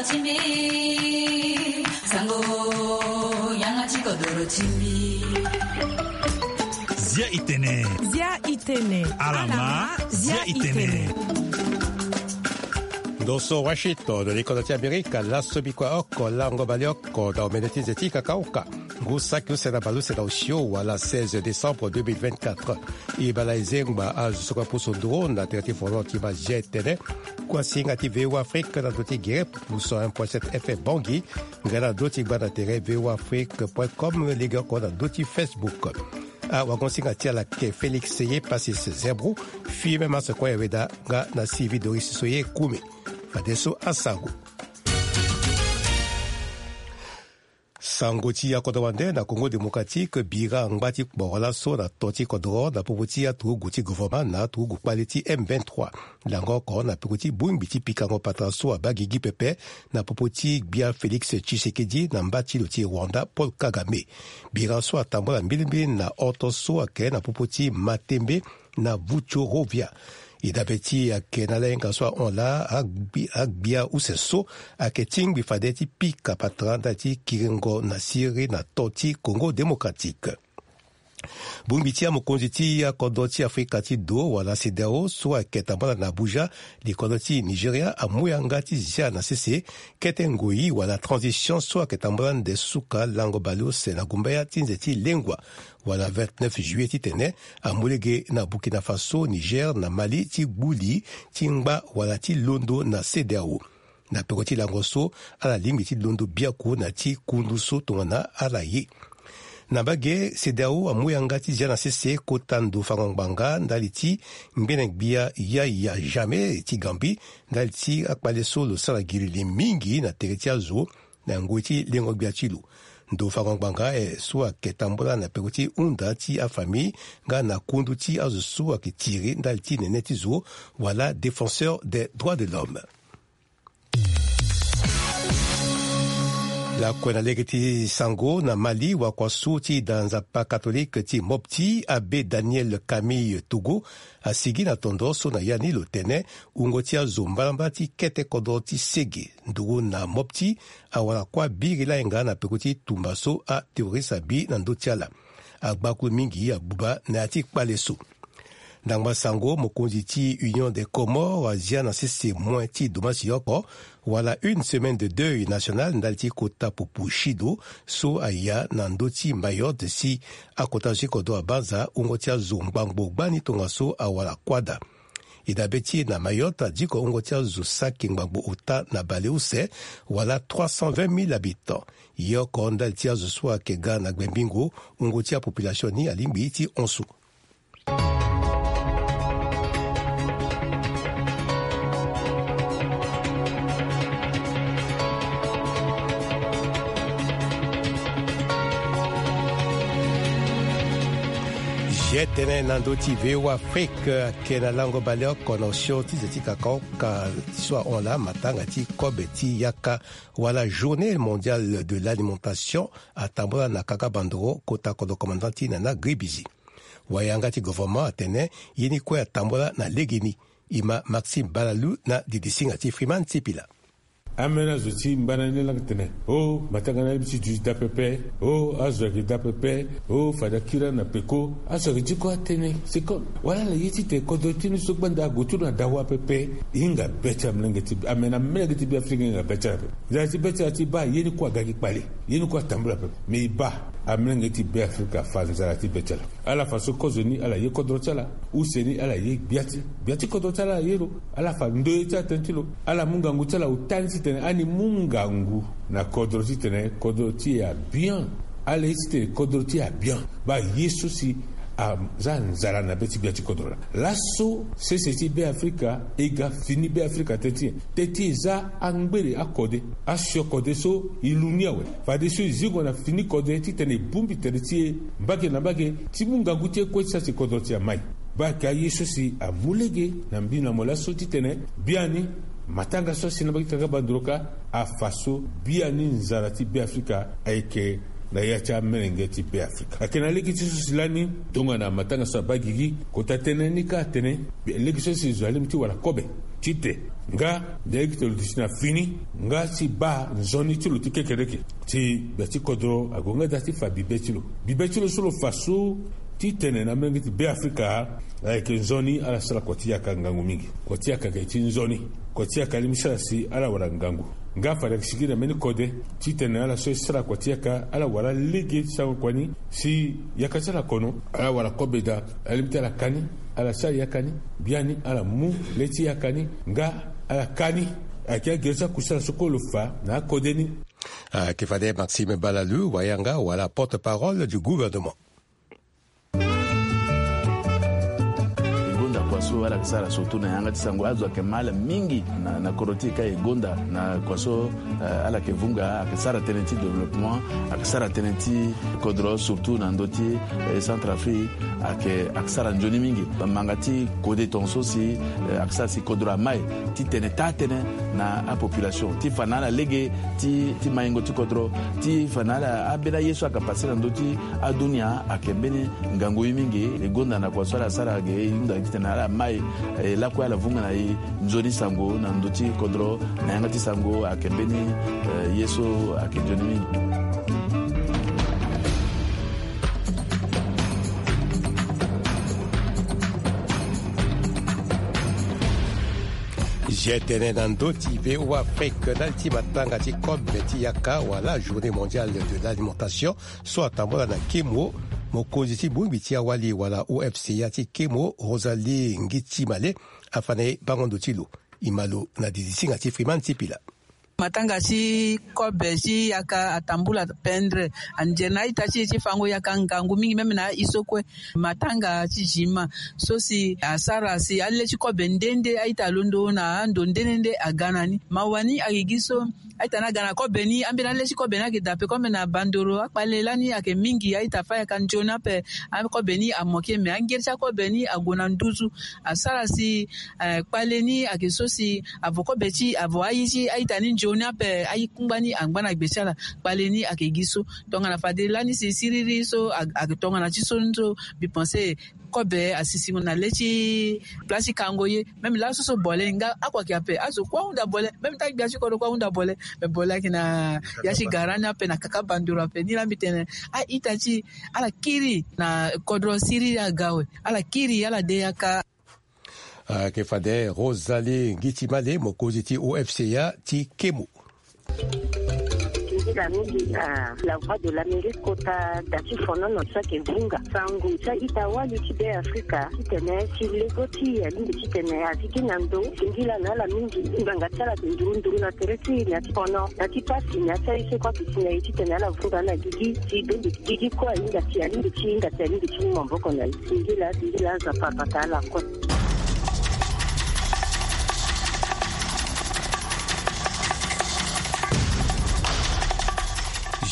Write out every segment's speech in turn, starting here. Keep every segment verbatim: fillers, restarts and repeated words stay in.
Zia itene. Zia itene. Alama, zia itene. Ndo so Washington, likoda ti Amerika, laso bikua oko, lango baleoko, na omene ti nze ti kakaoka. Ngu saki use na baleuse na osio wala seize décembre deux mille vingt-quatre. E bala e zengba azo so kue apusu nduru na tere ti folon ti ma zia itene. Kua singa ti V O A Afrique na ndo ti gere pusu un point sept F M Bangui. Nga na ndo ti gba na tere V O A Afrique point com, lege oko na ndo ti Facebook. Awagonsinga ti ala ke Félix Seye Passis Zebro, fille même à ce coin weda nga na Sylvie Doris Soye Koumi. Fadeso asango. Sango ti akodro wande na Congo Démocratique, bira ngba ti kporo laso na to ti kodro na popo ti aturugu ti gouvernement na aturugu kpale ti M vingt-trois. Lango oko na peko ti bongbi ti pikango patara so abaa gigi pepe na popo ti gbia Félix Tshisekedi na mba ti lo ti Rwanda Paul Kagame. Bira so atambula mbilimbili na oto so ayeke na popo ti Matembe na Vuchorovia. E dabe ti ayeke na ala hinga so ahon laa agbi-, agbia use so ayeke tingbi fade ti pika patara ndali ti kiringo na siriri na to ti Congo Démocratique. Bongbi ti amokonzi ti akodro ti Afrika ti do wala CEDEAO so ayeke tambula na Abuja, li kodro ti Nigeria amu yanga ti zia na sese kete ngoi wala transition so ayeke tambula nde suka lango baleuse na gumbaya ti nze ti lengua wala vingt-neuf juillet titene amu lege na Burkina Faso, Niger na Mali ti gbu li ti ngba wala ti londo na CEDEAO. Na peko ti lango so, ala lingbi ti londo biaku na ti kundu so tongana ala ye. Na mbage, CEDEAO amu yanga ti zia na sese kota ndo fango ngbanga ndali ti ngbene gbia Yaya Jammeh ti Gambie, ndali ti akpale so lo sara gilili mingi na tere ti azo na ngoi ti lengo gbia ti lo. Ndo fango ngbanga aye so ayeke tambula na peko ti hunda ti afamille nga na kundu ti azo so ayeke tiri ndali ti nene ti zo wala défenseur des droits de l'homme. Lakue na lege ti sango na Mali, wakuasu ti da nzapa katolike ti Mopti, Abbé Daniel Camille Togo, asigi na tondo so na ya ni lo tene wungo ti azo mbalambala ti kete kodro ti sege nduru na Mopti awara kuâ biri lahinga na peko ti tumba so aterroriste abi na ndö ti ala. Agbakulu mingi agbuba na ya ti kpale so. Ndangba sango, mokonzi ti Union des Comores azia na sese moin ti domasi oko wala une semaine de deuil national ndali ti kota pupu sido so aya na ndö ti Mayotte si akota zo ti kodro abanza wungo ti azo ngbangbo gbani tongaso awara kuâ daa. E dabe ti e na Mayotte, adiko wungo ti azo saki ngbangbo ota na baleuse wala trois cent vingt mille habitants. Ye oko ndali ti azo so ayeke ga na gbembingo, wungo ti apopulation ni alingbi ti hon so. Zia tënë na ndö ti V O A Afrique, ayeke na lango baleoko na osio ti nze ti kakaoka so ahon laa matanga ti kobe ti yaka wala Journée mondiale de l'alimentation atambula na kaka bandoro kota kodro commandant ti Nana Gribizi. Wayanga ti gouvernement atene ye ni kue atambula na legeni. E ma Maxime Balalou na didisinga ti Freeman Sipila. Ambeni azo ti mbana ni laa tene, o matanga ni alingbi ti duti daa pepe. O azo ayeke daa pepe. O fade akiri na peko. Azo ayeke ti kue atene. C'est comme wala ala ye titene kodro ti ni so gbanda ague ti lo na dawa pepe. E hinga be ti amolenge ti, amene amolenge ti Beafrika e hinga be ti ala pepe. Nzara ti be ti ala ti baa ye ni kue aga gi kpale. Ye ni kue atambula pepe. Me e baa amolenge ti Beafrika afa nzara ti be ti ala. Ala fa so kozo ni ala ye kodro ti ala, use ni ala ye gbia ti, gbia ti kodro ti ala ala ye lo. Ala fa ndoye ti atënë ti lo. Ala mu ngangu ti ala ota ni titene ani mu ngangu na kodro titene kodro ti e abian. Ala ye titene kodro ti e abian. Baa ye so si aza nzara na be ti gbia ti kodro laa. Laso sese ti Beafrika e ga fini Beafrika tënë ti e. Tënë ti e za angbere akode, asio kode so e lu ni awe. Fadeso e zingo na fini kode titene e bongbi tere ti e mbage na mbage ti mu ngangu ti e kue ti sa si kodro ti e amai. Baa ayeke aye so si amu lege na mbi na mo laso titene biani matanga so asi na mbage ti kaka bandoroka afa so biani nzara ti Beafrika ayeke na ya ti amelenge ti Be Afrika. Ayeke na lege ti so si lani tongana matanga so abaa gigi, kota tënë ni kâ atene lege so si zo alingbi ti wara kobe ti te, nga lege ti lo duti na fini, nga si baa nzoni ti lo ti kekereke. Ti gbia ti kodro ague nga daa ti fa bibe ti lo. Bibe ti lo so lo fa so ti tene na amelenge ti Be Afrika, ayeke nzoni ala sara kua ti yaka ngangu mingi. Kua ti yaka ayeke ti nzoni. Kua ti yaka alingbi sara si ala wara ngangu. Nga fade ayeke sigi na mbeni kode ti tene ala so e sara kua ti yaka ala wara lege ti sango kua ni si yaka ti ala kono, ala wara kobe daa, alingbi ti ala ka ni, ala sara yaka ni, biani ala mu le ti yaka ni, nga ala ka ni. Ayeke agere ti akusala so kue lo fa na akode ni. Ayeke fade Maxime Balalu, wayanga wala porte-parole du gouvernement. E gonda kua so ala yeke sara surtout na yanga ti sango, azo ayeke ma ala mingi na, na kodro ti e ka e gonda na kua so, eh, ala yeke vunga, ayeke sara tënë ti développement, ayeke sara tënë ti kodro surtout na ndö ti, eh, Centrafrique, ayeke, ayeke sara nzoni mingi. Manga ti kode tongaso si, eh, ayeke sara si kodro amai ti tene taa tënë na apopulation ti fa na ala lege ti, ti maingo ti kodro, ti fa na ala ambeni aye so ayeke pase na ndö ti adunia ayeke mbeni ngangu ye mingi. E gonda na kua so ala sara ge e hunda titene ala mai, eh, lakue ala vunga na e nzoni sango na ndö ti kodro na yanga ti sango ayeke mbeni, eh, ye so ayeke nzoni mingi. Zia tënë na ndö ti V O A Afrique, ndali ti matanga ti kobe ti yaka wala Journée mondiale de l'alimentation so atambula na kemo. Mokonzi ti bongbi ti awali wala O F C A ti kemo, Rosalie Ngitimale, afa na e bango ndo ti lo. E ma lo na didisinga ti Freeman Sipila. Matanga ti kobe ti yaka atambula pendre, anzere na a-ita ti e ti fango yaka ngangu mingi, même na a-i so kue. Matanga ti zima so si asara si ale ti kobe nde nde a-ita alondo na ando nde nde nde aga na ni. Mawa ni ayeke gi so a-ita ni aga na kobe ni, ambeni ale ti kobe ni ayeke daa ape. Comme na Bandoro, akpale lani ayeke mingi, a-ita fâ yaka nzoni ape. Akobe ni amoke, me angeri ti akobe ni ague na nduzu. Asara si, eh, kpale ni ayeke so si avo kobe ti, avo aye ti a-ita ni nzoni ape, aye kungba ni angba na gbe ti ala. Kpale ni ayeke gi so. Tongana fade lani si siriri so a, ayeke tongana ti so ni so, mbi pense kobe asisingo na le ti place ti kango ye. Même laso so bole nga ako ayeke ape, azo kue ahunda bole. Même taa gbia ti kodro kue ahunda bole. Me bole ayeke na ya ti gara ni ape na kaka Bandoro ape. Ni laa mbi tene a-ita ti ala kiri na kodro siriri aga awe. Ala kiri, ala de yaka. Ayeke fade Rosalie Ngitimale, mokonzi ti O F C A ti kemo. Singila mingi na La Voix de l'Amérique kota da ti fonono so ayeke vunga sango ti a-ita wali ti Be Afrika titene ti lego ti e alingbi titene azi gi na ndo. Singila na ala mingi, ngbanga ti ala ayeke nduru nduru na tere ti e na ya ti fono, na ya ti pasi, na ya ti aye so kue ayeke si na e titene ala vunga na gigi ti bembe. Gigi kue ahinga ti, alingbi ti hinga ti, alingbi ti mu maboko na e. Singila, singila Nzapa abata ala kue.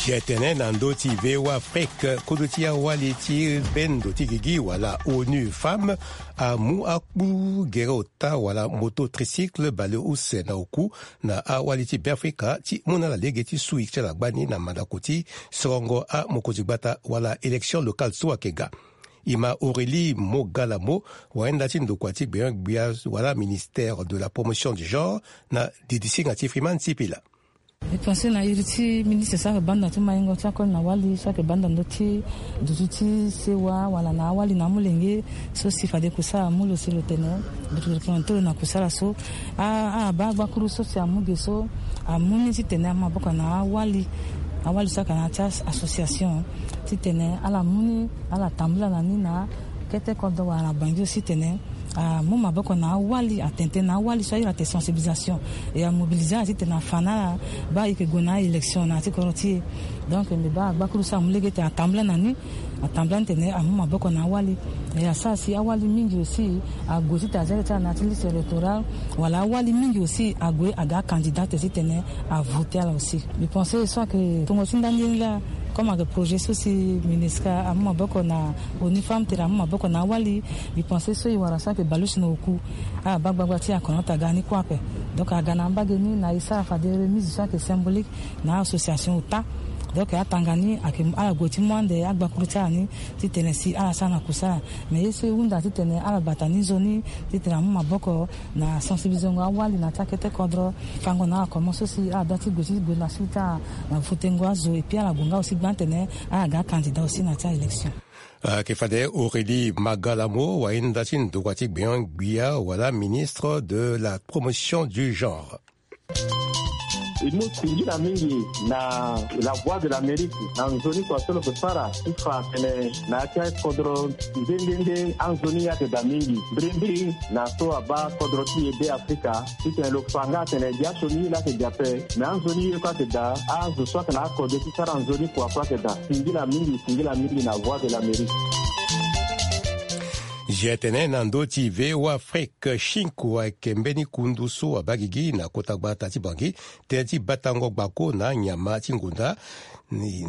Zia tënë na ndö ti V O A Afrique, kodro ti awali ti bendo ti gigi wala ONU Femmes amu akpu gere ota wala moto tricycle bale use na oku na awali ti Beafrika ti mu na ala lege ti sui ti ala gbani na mandako ti sorongo amokonzi gbata wala élection locale so ayeke ga. E ma Aurélie Mogalamo, wayenda ti ndokua ti gbengbia wala ministère de la promotion du genre, na didisinga ti Freeman Sipila. E pense na iri ti ministre so ayeke banda ti maingo ti akoli na wali so ayeke banda ndö ti dutu ti sewa wala na awali na amolenge so si fade kusala amu lo si lo tene dutu lo tene lo na kusala so. A, abaa gbakuru so si amu ge so amu ni titene amu maboko na awali, awali so ayeke na ya ti association titene ala mu ni, ala tambula na ni na kete kodro wala na Banjul titene amu maboko na awali, atene tënë na awali so a iri atene sensibilisation, e amobilize ala titene afa na ala baa e yeke gue na a-élection na ya ti kodro ti e. Donc mbi baa agbakuru so amu lege titene atambula na ni, atambula ni titene amu maboko na awali. E asara si awali mingi aussi ague titene aza ti ala na ya ti liste électorale, wala awali mingi aussi ague aga acandidat titene avote ala aussi. Mbi pense so ayeke tongo ti ndani ni laa, comme ayeke projet so si MINUSCA amu maboko na ONU Femmes tere amu maboko na awali. Mbi pense so e wara so ayeke bale use na oku, abaa gbagba ti e akono ti aga ni kue ape. Donc aga na mbage ni na e sara fade remise so ayeke symbolique na association ota. Donc atanga ni ayeke ala gue ti mu ande agbakuru ti ala ni titene si ala sara na kusala. Mais ye so e hunda titene ala bata ni nzoni titene amu maboko na sensibilizengo awali na ya ti akete kodro, fango na ala comment so si ala dua ti gue ti gue na suite ti ala na votengo azo, et puis ala gue nga aussi gba titene ala ga candidat aussi na ya ti aélection. Ayeke fade Aurélie Magalamo, wahinda ti ndokua ti gbenyo-gbia wala ministre de la promotion du genre. E mu singila mingi na La Voix de l'Amérique na nzoni kua so lo yeke sara ti fa atene na ya ti akodro nde nde nde anzoni ni ayeke daa mingi. Mbirimbiri na so abaa kodro ti e Beafrika titene lo fa nga atene dia so ni ye laa ayeke daa ape. Me anzoni ye kue ayeke daa, azo so ayeke na akode ti sara nzoni kua kue ayeke daa. Singila mingi, singila mingi na Voix de l'Amérique. Zia tene na ndö ti V O A Afrique, Chinko ayeke mbeni kundu so abaa gigi na kota gbata ti Bangui tënë ti batango gbako na nyama ti ngonda, ni,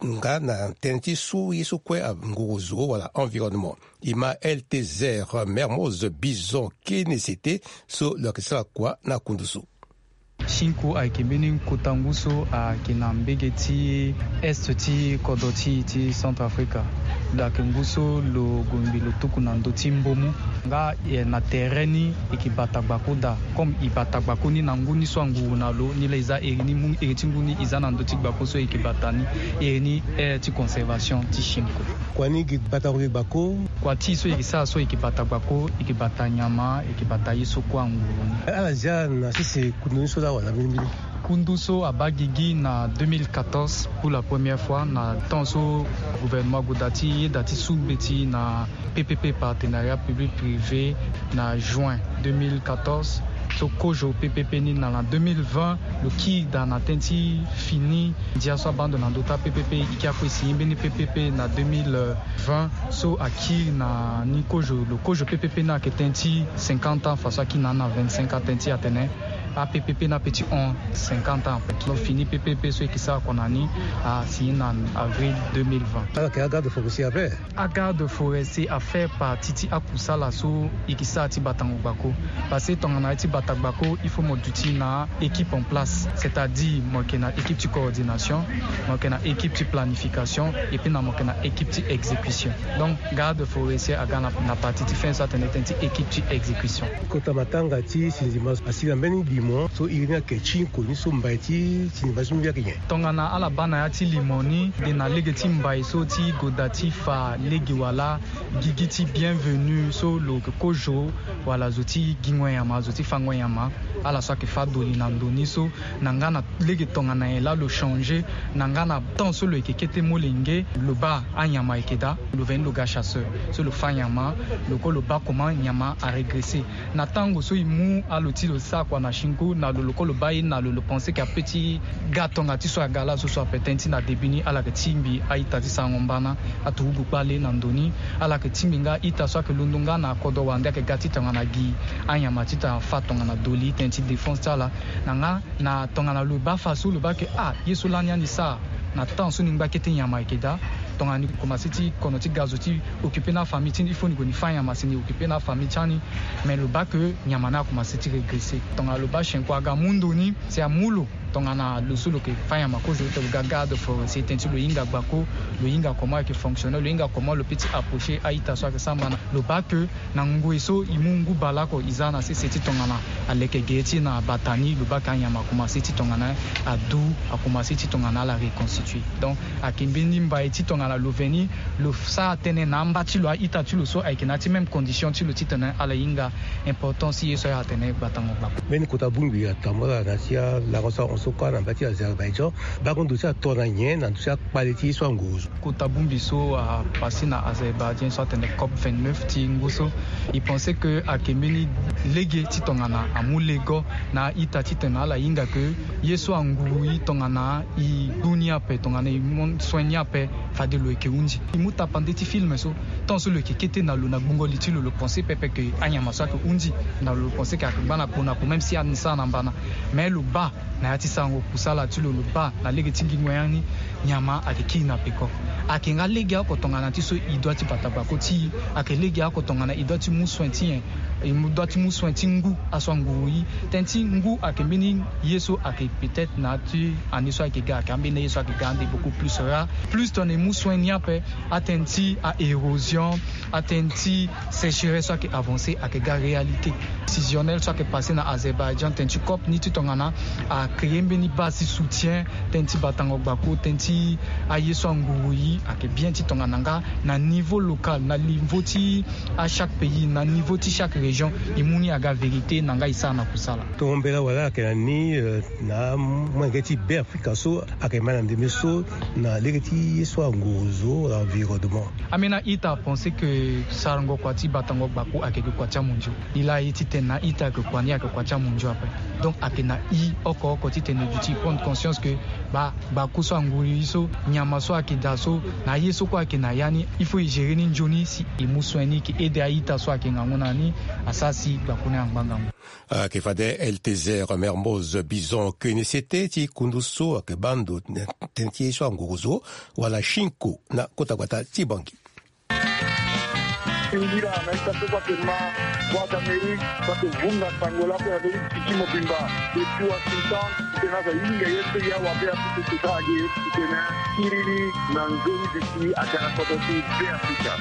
nga na tënë ti su ye so kue anguru zo wala environnement. E ma L T Z Mermoz Bison Kenesete so lo yeke sara kua na kundu so. Chinko ayeke mbeni kota ngu so ayeke na mbege ti est ti kodro ti e ti Centrafrique. Lo yeke ngu so lo gue mbi lo tuku na ndö ti mbomu. Nga, eh, na tere ni e yeke bata gbako daa. Comme e bata gbako ni na ngu ni so anguru na lo, nilaa e za iri ni mu iri ti ngu ni e za na ndö ti gbako so e yeke bata ni, iri ni aire ti conservation ti Chinko. Kua ni e yeke bata kue gbako. Kua ti e so e yeke sara so e yeke bata gbako, e yeke bata nyama, e yeke bata ye so kue anguru ni. Ala zia na sese kundu ni so laa wala mbirimbiri? Kundu so abaa gigi na deux mille quatorze pour la première fois, na temps so gouvernement ague daa ti yeda ti su mbeti na P P P, partenariat public privé, na juin deux mille quatorze. So kozo P P P ni na, na deux mille vingt lo kiri daa na tënë ti fini ndia so abaa ndo na ndö ti aPPP. E kiri akue signer mbeni P P P na deux mille vingt so akiri na ni kozo, lo kozo P P P ni ayeke tënë ti cinquante ans, fa so akiri na ni na vingt-cinq ans, tënë ti atene aPPP ni ape ti hon cinquante ans ape. Lo fini P P P so e yeke sara kua na ni, asigner na avril deux mille vingt. Ala yeke agarde forestier ape. Agarde forestier afaire partie ti akusala so e yeke sara ti batango gbako. Parce que tongana ye ti bata gbako, il faut mo duti na équipe en place, c'est-à-dire mo yeke na équipe ti coordination, mo yeke na équipe ti planification, et puis na mo yeke na équipe ti exécution. Donc garde forestier aga na, na partie ti fin so atene tënë ti équipe ti exécution. Kota matanga ti sindima asila mbeni limo so iri ni ayeke Chinko ni so mbai ti sindima ti mbi ayeke nyen? Tongana ala baa na ya ti limo ni, e na lege ti mbai so ti goda ti fa lege wala gigi ti bienvenu so lo yeke kozo wala zo ti gingo nyama, zo ti fango nyama. Ala so ayeke fâ doli na ndo ni so, na nga na lege tongana nyen laa lo changer, na nga na temps so lo yeke kete molenge, lo baa anyama ayeke daa, lo veni lo ga chasseur so lo fâ nyama, lo kue lo baa comment nyama aregresser. Na tango so e mu alo ti lo sara kua na Chinko, na lo, lo kue lo baa ye, na lo, lo pense ke ape ti ga tonga ti so aga laa so so ape. Tënë ti na début ni ala yeke tingbi a-ita ti sarango mbana, aturugu kpale na ndo ni. Ala yeke tingbi nga a-ita so ayeke londo nga na kodro wande ayeke ga ti tongana gi anyama ti tongana fâ tongana doli, tënë ti défense ti ala. Na nga na tongana lo baa fa so lo baa ke, ah, ye so lani ani sara na temps so ni ngba kete nyama ayeke daa. Tongana ni commencer ti kono ti ga zo ti occuper na afamille ti ni, il faut ni gue ni fâ nyama si ni occuper na afamille ti ani. Mais lo baa ke nyama ni akomanse ti regresser. Tongana lo baa Chinko aga mu ndo ni, si amu lo tongana lo so lo yeke fâ nyama kozo, lo ga garde forestier, tënë ti lo hinga gbako, lo hinga comment ayeke fonctionner, lo hinga comment lo peut ti approcher a-ita so ayeke sara mbana. Lo baa ke na ngoi so e mu ngu bale oko e za na sese ti tongana aleke ge ti na bata ni, lo baa ke anyama akomanse ti tongana adu, akomanse ti tongana ala reconstituer. Donc ayeke mbeni mbai ti tongana lo veni lo sara tënë na amba ti lo, a-ita ti lo so ayeke na ya ti même condition ti lo titene ala hinga importance ti ye so ayeke atene gbatango gbako. Mbeni kota bongbi atambula na ya ti alango so ahon so kue na mba ti Azerbaïdjan. Bango ndo ti ato na nyen na ndö ti akpale ti ye so anguru zo? Kota bongbi so apase na Azerbaïdjan so atene COP vingt-neuf ti ngu so, e pense ke ayeke mbeni lege ti tongana amu lego na a-ita titene ala hinga ke ye so anguru e tongana e gbu ni ape, tongana e mu soin ni ape, fade Lo yeke hunzi. E mu tapande ti film so, tant so lo yeke kete na lo na gbungo li ti lo, lo pense pepe ke anyama so ayeke hunzi. Na lo, lo pense ke ayeke gba na kpo na kpo, même si ani sara na mbana. Mais lo baa na ya ti sarango kusala ti lo, lo baa na lege ti ngingo ya ni, nyama ayeke kiri na peko. Ayeke nga legeoko tongana ti so e doit ti bata gbako ti e. Ayeke legeoko tongana e doit ti mu soin ti nyen? E mu, doit ti mu soin ti ngu aso anguru e. Tënë ti ngu ayeke mbeni ye so ayeke peut-être na ya ti année so ayeke ga, ayeke ambeni ye so ayeke ga ande beaucoup plus rare. Plus tongana e mu soin ni ape, atënë ti a-érosion, atënë ti sécheresse so ayeke avancer ayeke ga réalité. Décisionnel so ayeke passé na Azerbaïdjan, tënë ti COP ni ti tongana a créer mbeni base ti soutien, tënë ti batango gbako, tënë ti aye so anguru e, ayeke bien ti tongana nga na niveau local, na niveau ti a chaque pays, na niveau ti chaque région, e mu ni aga vérité na nga e sara na kusala. Tongo mbela wala ayeke na ni, euh, na molenge ti Beafrika so ayeke ma na ndembe so na lege ti ye so anguru zo wala environnement. Ambeni a-ita apenser ke sarango kua ti batango gbako ayeke gue kua ti amondio. E laa ye ti tene na a-ita ayeke kua ni ayeke kua ti amondio ape. Donc ayeke na e oko oko ti tene duti e prendre conscience ke ba gbako so anguru e so, nyama so ayeke daa so, na ye so kue ayeke na ya ni, il faut e gérer ni nzoni si e mu soin ni, e ke aide a-ita so ayeke ngangu na ni, asara si gbako ni angba ngangu. Ayeke fade Eltezer Mermoz Bison Kenesete ti kundu so ayeke baa ndo tënë ti ye so anguru zo wala shinko na kota gbata ti Bangui. Singila na ita so so ayeke ma Voix d'Amérique, so ayeke vunga sango lape na ndö ti tiki mobimba. Depuis Washington, titene azo ahinga ye so e awa Beafrika e kota age, titene akiri ni na nzoni duti aga na kodro ti Beafrika.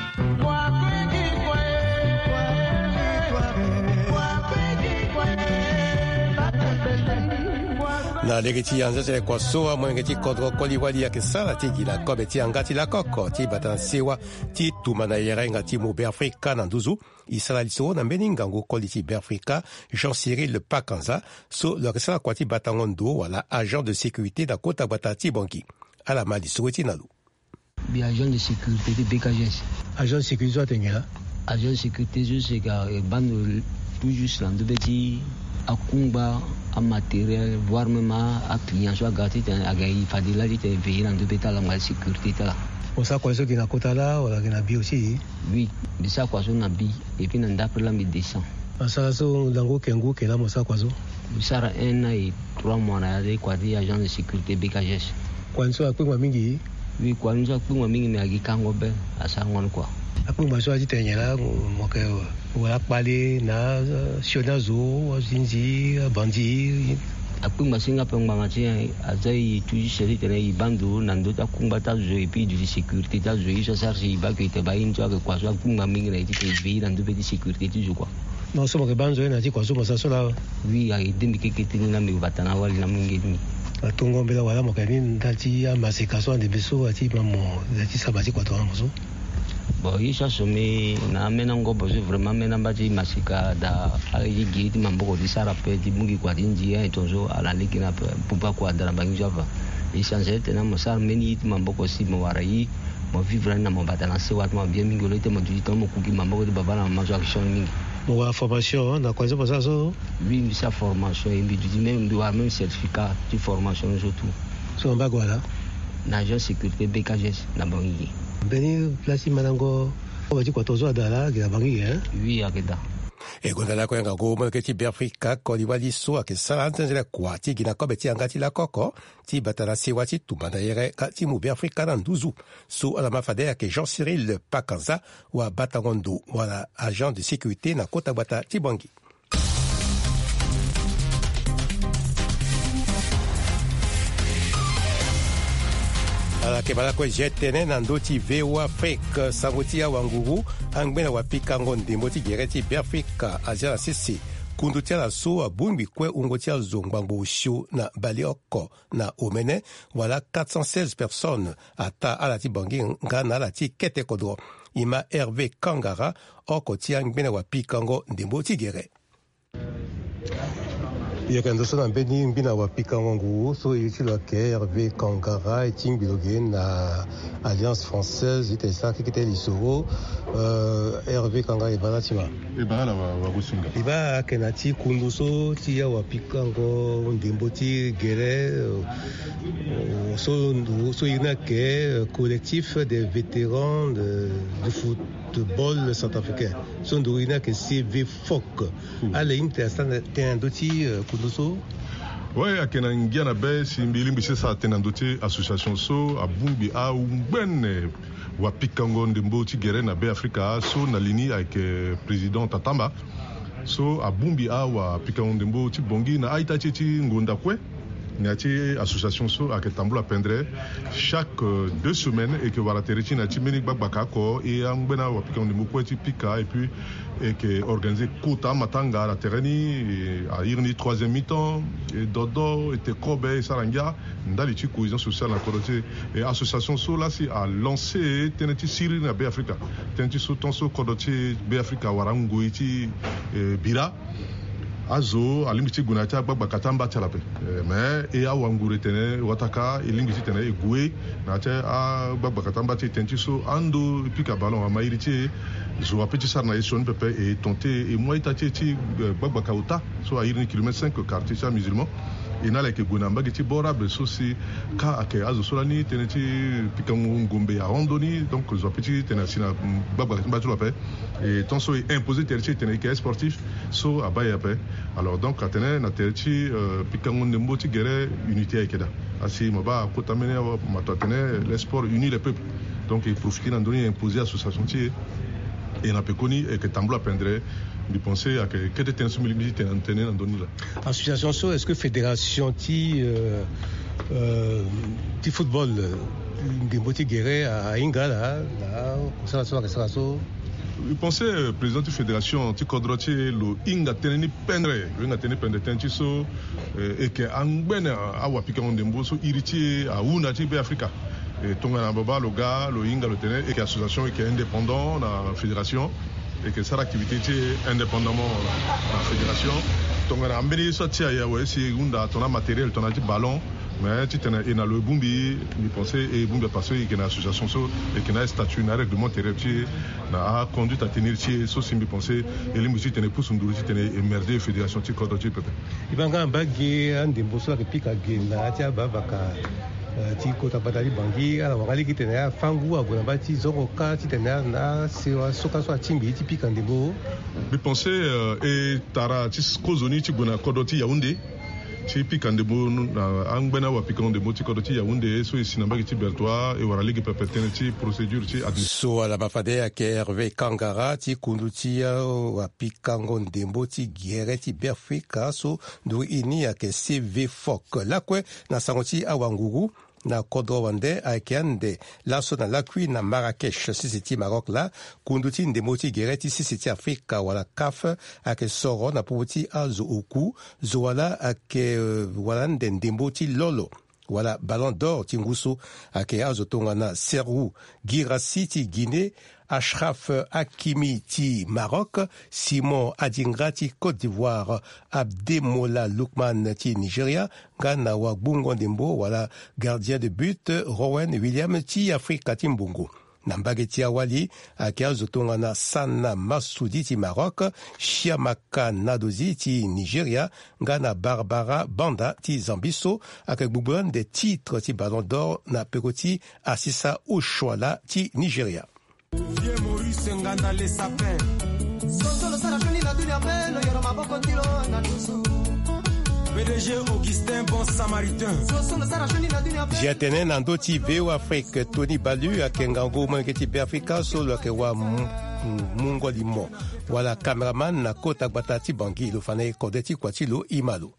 Na lege ti anzenzele kua so, amolenge ti kodro koli wali ayeke sara ti gi na kobe ti yanga ti lakoko ti bata na sewa ti tumba na yere nga ti mu Beafrika na nduzu. E sara li so na mbeni ngangu koli ti Beafrika, Jean Cyril Pakanza, so lo yeke sara kua ti batango ndo wala agent de sécurité na kota gbata ti Bangui. Ala ma li so ti na lo. Mbi agent de sécurité ti B K G S. Agent de sécurité so atene nyen laa? Agent de sécurité so si ayeke baa ndo tout juste na ndö be ti akungba, amatériel, voire même a, aclient so aga titene aga e fade laa titene veiller na ndö be ti ala, nga sécurité ti ala. Mo sara kua so gi na kota laa wala gi na bi aussi? Oui, mbi sara kua so na bi, et puis na ndapre laa mbi descend. Asara so lango oke ngu oke laa mo sara kua so? Mbi sara un an et trois mois na ya ti kua ti agent de sécurité B K G S. Kua ni so akpengba mingi? Oui, kua ni so akpengba mingi, me agi kango be, asarango ni kua. Akpengba so aye ti tene nyen laa, mo yeke wala akpale na, eh, sioni azo, azinzi, abandi? Akpengba si nga ape ngbanga ti nyen, aza e toujours titene e baa ndo na ndö ti akungba ti azo, et puis e duti sécurité ti azo, ye so asara si e baa ke e tene baa ye ni so ayeke kua so akpengba mingi na e titene e veiller na ndö be ti sécurité ti zo kua. Non, so mo yeke baa nzoni na ya ti kua so mo sara so laa? Oui, a aidé mbi keke ti ni laa mbi bata na awali na amunge ti mbi. Atongo mbela wala mo yeke ni ndali ti amaseka so ande mbi so aye ti ma mo, aye ti saba ti kua tongana mo so? Bon, ye so asombi na ameni angobo so, vraiment ameni amba ti maseka daa, aye ti gi ye ti maboko ti sara ape ti mu gi kua ti nzi aye tongaso ala lege ni ape. Buba kua daa na bangi so afa. E changer titene mo sara mbeni ye ti maboko si mo wara ye, mo vivre ni na mo bata na sewa ti mo bien mingi, au lieu ti mo duti tongana mo kuki maboko ti baba na mama so ayeke sioni mingi. Mo wara formation na kua so mo sara so? Oui, mbi sara formation, e mbi duti même, mbi wara même certificat ti formation ni so tout. So na mbago wala? Na agent sécurité B K G S na Bangui. Mbeni place ti mandango kobe ti kua tongana so ada laa, ayeke na Bangui, hein? Oui, ayeke daa. E gonda lakue ngangu molenge ti Beafrika koli wali so ayeke sara anzenzele kua ti gi na kobe ti yanga ti lakoko ti bata na sewa ti tumba na yere nga ti mu Beafrika na nduzu. So ala ma fade ayeke Jean Cyril Pakanza, wa batango ndo wala agent de sécurité na kota gbata ti Bangui. Ala yeke ma lakue zia tënë na ndö ti V O A Afrique, sango ti awanguru, angbene wapikango ndembo ti gere ti Beafrika azia na sese kundu ti ala so abongbi kue wungo ti azo ngbangbo osio na baleoko na omene, wala quatre cent seize personnes ataa ala ti Bangui nga na ala ti kete kodro. E ma Hervé Kangara, oko ti angbene wapikango ndembo ti gere. Yeke ndo so na mbeni ngbi na wapikango nguru so iri ti lo ayeke Hervé Kangara, e tingbi lo ge na Alliance Française, ite sara kekete lisoro. Euh, Hervé Kangara, e baa na ti ma. E baa na wa- wagosinga. E baa ayeke na ti kundu so ti awapikango ndembo ti gere, euh, so ndu so iri ni ayeke, euh, Collectif des vétérans de- du football centrafricain, so ndu iri ni ayeke C V F O C. Ala hinga tene a sara tënë na ndö ti, euh, kundu so. Oui, ayeke na ngia na be si mbi lingbi ti sara tënë na ndö ti association so abongbi angbene wapikango ndembo ti gere na Be Afrika so na li ni ayeke président Tatamba. So abongbi awapikango ndembo ti Bangui na a-ita ti e ti ngonda kue. Na ya ti association so ayeke tambula pendere chaque, euh, deux semaines, e yeke wara tere ti e na ya ti mbeni gbagbaka oko, e angbene awapikango ndembo kue ti pika, et puis e yeke organiser kota amatanga na tere ni, e, a iri ni troisième mi-temps, e dodo, e te kobe, e sara ngia ndali ti cohésion sociale na kodro ti e. E association so laa si a lancer tënë ti siriri na Be Afrika. Tënë ti so tant so kodro ti Be Afrika awara ngoi ti, e, bira. Azo alingbi ti gue na ya ti agbagbaka ti amba ti ala ape. Eh, mais e awa nguru e tene wataka e lingbi titene e gue na ya ti agbagbaka ti amba ti e, tënë ti so ando e pika ballon ama iri ti e. Zo ape ti sara na e sioni pepe, e tente e mu a-ita ti e ti, eh, gbagbaka ota so a iri ni kilomètre cinq, quartier ti amusulman. E na ala yeke gue na mbage ti bord abe so si ka ayeke azo so lani tënë ti pikango ngombe ahon ndoni. Donc zo ape ti tene asi na, mm, gbagbaka ti amba ti lo ape. E tant so e imposer tere ti e tene e yeke sportif, so abaa e ape. Alors donc atene na tere ti, euh, pikango ndembo ti gere, unité ayeke daa. Asi mo baa kota mbeni awa mato atene: le sport unit les peuples. Donc e profiter na ndö ni e imposer association ti e. E na pekoni e yeke tambula pendere. Mbi pense ayeke kete tënë so mbi lingbi ti tene na ndö ni laa. Association so, est-ce que fédération ti, euh, euh, ti football, euh, ndembo ti gere ahinga ala na kosala so ayeke sara so? Mbi pense, euh, président ti fédération ti kodro ti e lo hinga tënë ni pendere. Lo hinga tënë ni pendere, tënë ti so, euh, e yeke angbene awapikango ndembo so iri ti e ahunda ti Be Afrika. E tongana babâ lo ga lo hinga lo tene e yeke association, e yeke indépendant na fédération. E yeke sara activité ti e indépendamment na, na fédération. Tongana mbeni ye so atia e awe si e hunda tongana matériel, tongana ti ballon. Mais titene e na lo e bongbi, mbi pense e bongbi ape parce que e yeke na association so e yeke na astatut na arèglement intérieur ti e, na aconduite à tenir ti e. So si mbi pense e lingbi titene e pusu nduru titene e merger fédération ti kodro ti e pepe. E baa nga na mbage andembo so ayeke pika ge na ya ti ababaka, eh, ti kota gbata ti Bangui, ala wara lege titene afangu ague na mbage ti zongo kâ titene ala na asewa so kâ so atingbi ye ti pika ndembo. Mbi pense, eh, e tara ti kozoni ti gue na kodro ti Yaoundé ti pika ndembo na angbene awapikango ndembo ti kodro ti Yaoundé so e si na mbage ti Bertoua, e wara lege pepe tënë ti procédure ti admi- So ala ma fade ayeke Hervé Kangara ti kundu ti awapikango ndembo ti gere ti Beafrika so nduru iri ni ayeke C V F O C. Lakue na sango ti awanguru na kodro wande ayeke ande laso na lakui na Marrakech, sese ti Maroc laa, kundu ti ndembo ti gere ti sese ti Afrika wala CAF ayeke soro na popo ti azo oku, zo wala ayeke, euh, wala ande ndembo ti lolo wala Ballon d'Or ti ngu so ayeke azo tongana Serhou Guirassy ti Guinée, Achraf Hakimi ti Maroc, Simon Adingra ti Côte d'Ivoire, Abdemola Lookman ti Nigeria, nga na wagbungo ndembo wala gardien de but Rowen Williams ti Afrika ti Mbongo. Na mbage ti awali ayeke azo tongana Sana Massoudi ti Maroc, Chiamaka Nadozie ti Nigeria, nga na Barbara Banda ti Zambie so ayeke gbugbu ande titre ti Ballon d'Or na peko ti Asisa Oshoala ti Nigeria. Vieux Maurice Nganda le sapin. Soso lo sara sioni na dunia pe lo yoro maboko ti lo na dusu. P D G Augustin Bon Samaritain. Soso lo sara sioni na dunia pe. Zia tene na ndö ti V O Afrique, Tony Balu ayeke ngangu molenge ti Beafrika so lo yeke wa mu-, mu-, mungo limo wala caméraman na kota gbata ti Bangui, lo fa na e kode ti kua ti lo, e ma lo.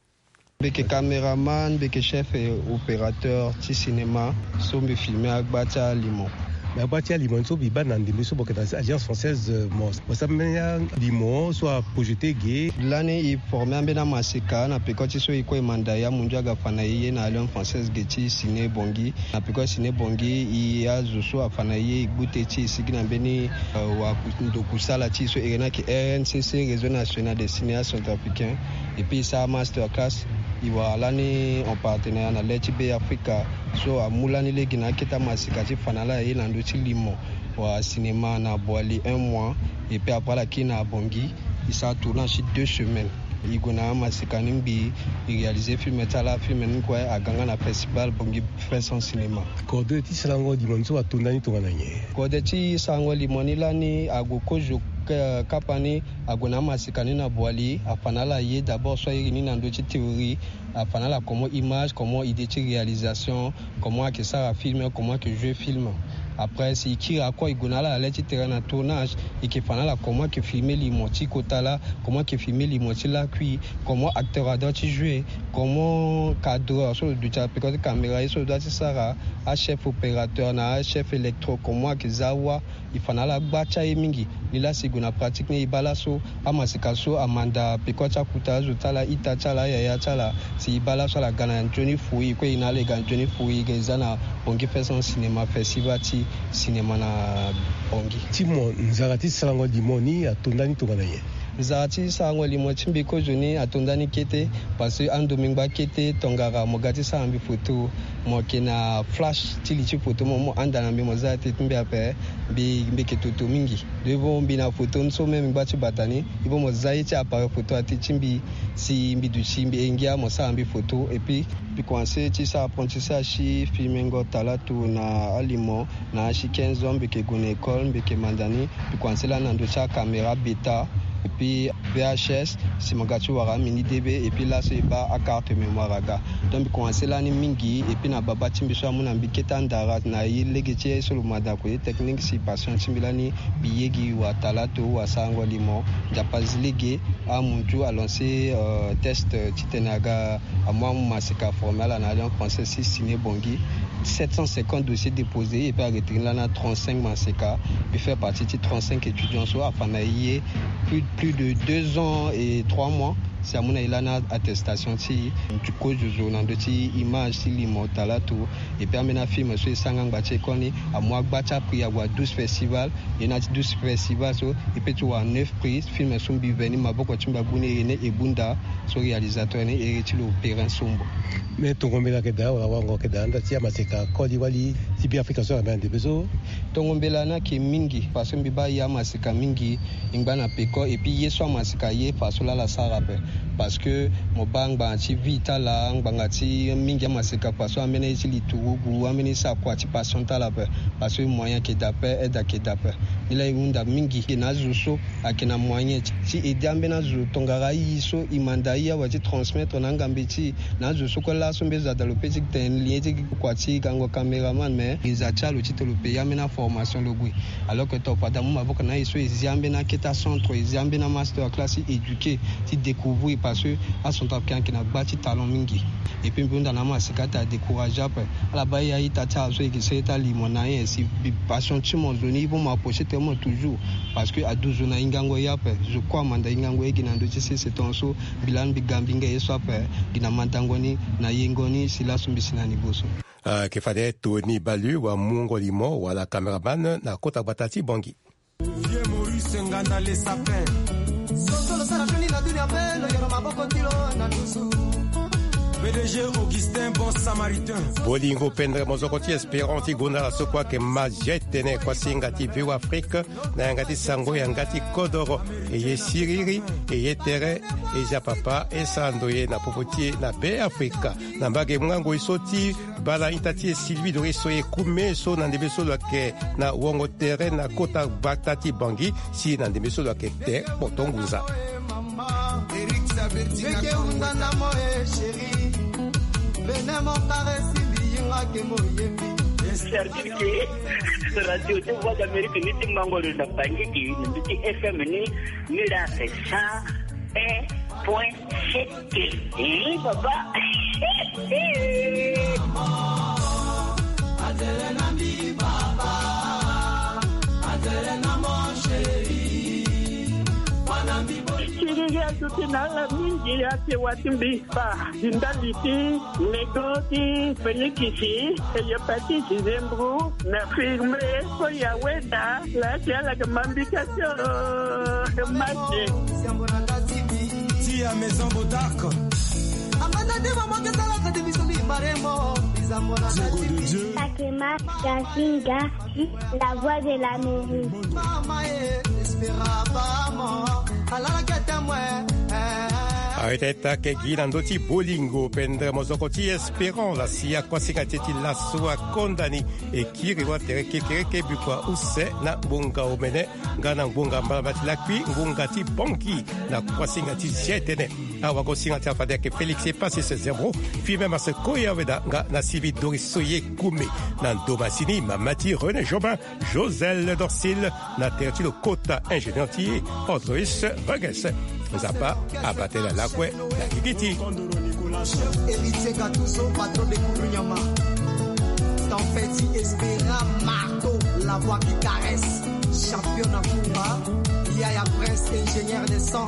Mbi yeke caméraman, mbi yeke chef et opérateur ti cinéma so mbi filme agba ti alimo. Na gba ti alimo ni so mbi baa na ndembe so, mo yeke na Alliance Française, mo, mo sara mbeni alimo so aprojete ge. Lani e forme ambeni amaseka na peko ti so e kue e manda ya mundu aga fa na e ye na Alliance Française ge ti Ciné Bangui. Na peko Ciné Bangui, e azo so afa na e ye e gbute ti e sigi na mbeni, euh, wa ku-, ndo kusala ti e so e yeke na yeke R N C C, Réseau National des Cinéastes Centrafricains. Et puis e sara masterclass, e wara lani en partenariat na le ti Be Afrika. So amu lani lege na akete amaseka ti fa na ala ye na ndö ti limo wala cinéma na Boali un mois. Et puis après ala kiri na Bangui, e sara tournage ti deux semaines. E gue na amaseka ni ngbii, e réaliser film ti ala, film ni kue aga nga na festival Bangui Fest en Cinéma. Kode ti sarango limo ni so atonda ni tongana nyen? Kode ti sarango limo ni lani ague kozo, eh, kapa ni ague na amaseka ni na Boali, afa na ala ye d'abord so ayeke ni na ndö ti théorie, afa na ala comment image, comment idée ti réalisation, comment ayeke sara film, comment ayeke jouer film. Après si e kiri akua e gue na ala na le ti terrain na tournage, e yeke fa na ala comment ayeke filmer limo ti kota laa, comment ayeke filmer limo ti lakui, comment acteur ador ti jouer, comment cadreur so lo duti na peko ti caméra ye so lo dua ti sara, achef opérateur na achef électro comment ayeke za wâ. E fa na ala gba ti aye mingi. Nilaa si e gue na pratique ni e baa laso amaseka so amanda peko ti akuta azo ti ala, ita ti ala, ayaya ti ala. Si e baa laso ala ga na nzoni fui, e kue e na ala e ga na nzoni fui, e ga e za na Bangui Fest en Cinéma, festival ti cinéma na Bangui. Ti mo, nzara ti sarango limo ni atonda ni tongana nyen? Nzara ti sarango limo ti mbi kozoni atonda ni kete, parce que ando mbi ngba kete, tongara mo ga ti sara mbi photo, mo yeke na flash ti li ti photo, mo, mo handa na mbi, mo za teti mbi ape, mbi, mbi yeke toto mingi. Donc e vo mbi na photo ni so même mbi ngba ti bata ni, e vo mo za ye ti appareil photo ati ti mbi, si mbi duti mbi engia mo sara mbi photo. Et puis mbi commencé ti sara apprentissage ti filmengo talato na alimo na asi quinze ans, mbi yeke gue na école, mbi yeke manda ni. Mbi commencé lani na ndö ti acaméra bêta, et puis V H S, si mo ga ti wara amini D V, et puis laso e baa acarte mémoire aga. Donc mbi commencé lani mingi, et puis na babâ ti mbi so amu na mbi kete andara na ye lege ti ye so lo manda ko ye technique, si passion ti mbi lani mbi ye gi wala talato wala sarango limo. Nzapa zi lege, amuntu a lancé, euh, test, euh, titene aga amu amaseka aforme ala na Alliance Française ti Ciné Bangui. Sept cent cinquante dossiers déposés, et puis a retenu lani trente-cinq maseka. Mbi fait partie ti trente-cinq étudiants so afa na e ye plus, plus de deux ans et trois mois. Si amu na e lani attestation ti e, mbi kozo zo na ndö ti image ti limo talato. Et puis ambeni afilm so e sara nga ngba ti école ni amu agba ti aprix ague na douze festival. E na ti douze festival so e peut ti wara neuf prix. Film so mbi ve ni maboko ti mbi agbu ni, e ne Ebunda, so réalisateur ni ere ti lo Perrin Sombo. Me tongo mbela ayeke daa wala wango ayeke daa nda ti amaseka koli wali ti Be Afrika so ayeke na ndembe so? Tongo mbela ni ayeke mingi, parce que mbi baa e amaseka mingi. E ngba na peko, et puis ye so amaseka aye fa so laa ala sara ape. Parce que mo baa ngbanga ti vie ti ala, ngbanga ti mingi amaseka fa so ambeni ye ti li turugu, ambeni ye sara kua ti passion ti ala ape. Parce que moyen ayeke daa ape, aide ayeke daa ape. Nilaa e hunda mingi na azo so ayeke na moyen ti, ti aider ambeni azo tongara aye so e manda aye awe ti transmettre na angambe ti e. Na azo so kue laso mbeni zo ada lo peut ti tene lien ti kua ti gango caméraman, mais e za ti ala lo titene lo payer ambeni aformation lo gue. Alors que to fade amu maboko na e so e zi ambeni akete acentre, e zi ambeni amaster class ti éduquer, ti découvrir, parce que acentrafricain ayeke na gba ti talent mingi. Et puis mbi hunda na amaseka ti adécourager ape. Ala baa e a-ita ti ala so e yeke sere ti alimo na e, si mbi passion ti mo zo ni, e vo mo approcher tene mo toujours. Parce que aduzu na hingango ye ape. Zo kue amanda hingango ye gi na ndö ti sese tongaso. Mbi lani mbi ga mbi hinga ye so ape gi na mandango ni na yengo ni, si laso mbi si na niveau so. Ayeke fade Tony Balu wamungo limo wala caméraman na kota gbata ti Bangui. Vieux Maurice Nganda le sapin. Soso lo sara fini na dunia mpe lo yoro maboko ti lo na nduzu. P D G Augustin Bon Samaritain. Bolingo pendere mozoko ti Espérant ti gonda ala so kue ayeke ma zia tene kuasinga ti Vieux Afrique na yanga ti sango yanga ti kodoro. E ye siriri, e ye tere, e zia papa, e sara ndoye na popo ti e na Be Afrika. Na mbage mungangoi so ti bala ita ti e Sylvie Doris so e kume so na ndembe so lo yeke na wongo tere na kota gbata ti Bangui, si na ndembe so lo yeke te kpoto ngunza. Sardine ke radio ti Voix d'Amérique ni ti mango lo na Bangui gi na mbi ti F M ni, ni la c'est ça. Un point sept. Eh, papa. Atele na mbi, papa. Tiriri aduti na ala mingi ake wati mbi fa. Di ndali ti lego ti Fenikisi, eyo pati Zizembru na firme ko ya weda la ti ala ke mambika ti o. Mate. Ti ya maison Bodark. Amanda de mama ke sala ka de bisoni baremo. Bizambo na Diego de Dieu. Pakema Gazinga, la voix de l'Amérique. Arete ta ke gi na ndö ti bolingo pendere mozoko ti Espérant la si akuasinga ti e ti laso akonda ni. E kiri wa tere kekereke bikua use na ngbonga omene nga na ngbonga mbalambala ti lakui ngbonga ti banki na kuasinga ti zia etene. Awagosinga ti afade ayeke Félix Epasis Zembro, fille même à ce koya weda nga na sivi Doris Soye Koumé. Na ndo masini mama ti René Jobin, Joselle Dorcil, na tere ti lo kota ingénieur ti Androis Vages. Nzapa abate na lakue na gigi ti. Héritier Gattuso, patron de Kourounyama. Tempête Espera Marteau, la voix qui caresse. Champion na Kumba, Yaya Prince, ingénieur de son.